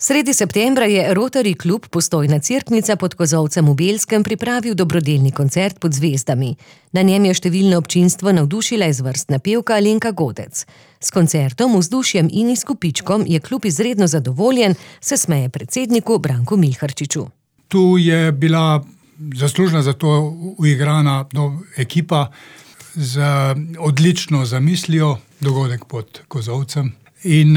Sredi septembra je Rotary klub Postojna Cerknica pod Kozolcem v Belskem pripravil dobrodelni koncert pod zvezdami. Na njem je številno občinstvo navdušila izvrstna pevka Alenka Godec. S koncertom, vzdušjem in izkupičkom je klub izredno zadovoljen, se smeje predsedniku Branku Milharčiču. Tu je bila zaslužna za to uigrana ekipa z odlično zamislijo, dogodek pod Kozolcem. In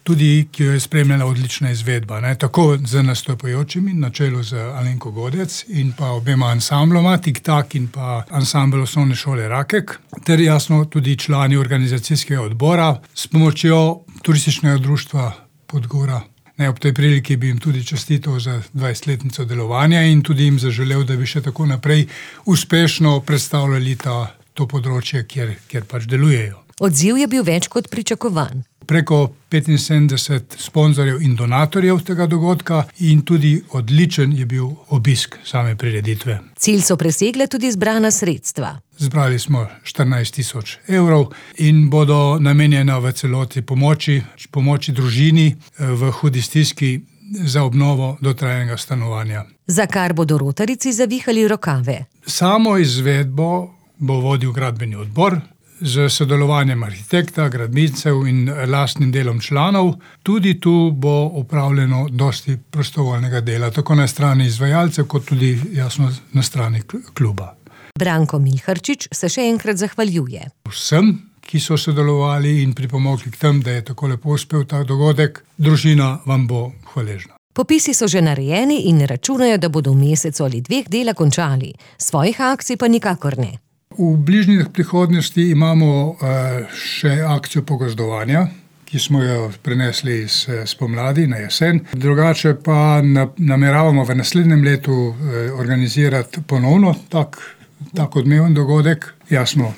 tudi, ki jo je spremljala odlična izvedba, tako z nastopajočimi, na čelu z Alenko Godec in pa obema ansambloma, Tik-tak in pa ansambel osnovne šole Rakek, ter jasno tudi člani organizacijskega odbora s pomočjo turističnega društva Podgora. Ob tej priliki bi jim tudi čestital za 20-letnico delovanja in tudi jim zaželel, da bi še tako naprej uspešno predstavljali to področje, kjer pač delujejo. Odziv je bil več kot pričakovan. Preko 75 sponzorjev in donatorjev tega dogodka in tudi odličen je bil obisk same prireditve. Cilj so presegle tudi zbrana sredstva. Zbrali smo 14 000 evrov in bodo namenjena v celoti pomoči družini v hudi stiski za obnovo dotrajanega stanovanja. Za kar bodo rotarijci zavihali rokave. Samo izvedbo bo vodil gradbeni odbor, z sodelovanjem arhitekta, gradbincev in lastnim delom članov. Tudi tu bo opravljeno dosti prostovoljnega dela, tako na strani izvajalcev, kot tudi jasno na strani kluba. Branko Milharčič se še enkrat zahvaljuje. Vsem, ki so sodelovali in pripomogli k tem, da je tako lepo uspel ta dogodek, družina vam bo hvaležna. Popisi so že narejeni in računajo, da bodo v mesecu ali 2 dela končali. Svojih akcij pa nikakor ne. V bližnji prihodnosti imamo še akcijo pogozdovanja, ki smo jo prenesli spomladi na jesen. Drugače pa nameravamo v naslednjem letu organizirati ponovno tak odmeven dogodek. Jasno,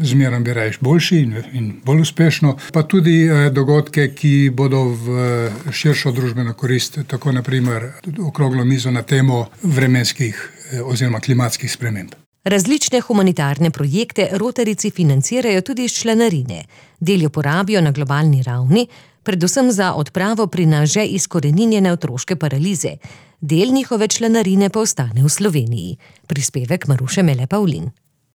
zmeraj bi rajš boljši in bolj uspešno. Pa tudi dogodke, ki bodo v širšo družbeno korist, tako na primer okroglo mizo na temo vremenskih oziroma klimatskih sprememb. Različne humanitarne projekte rotarijci financirajo tudi iz članarine. Del jo porabijo na globalni ravni, predvsem za odpravo pri nas že izkoreninjene otroške paralize. Del njihove članarine pa ostane v Sloveniji. Prispevek Maruše Mele Pavlin.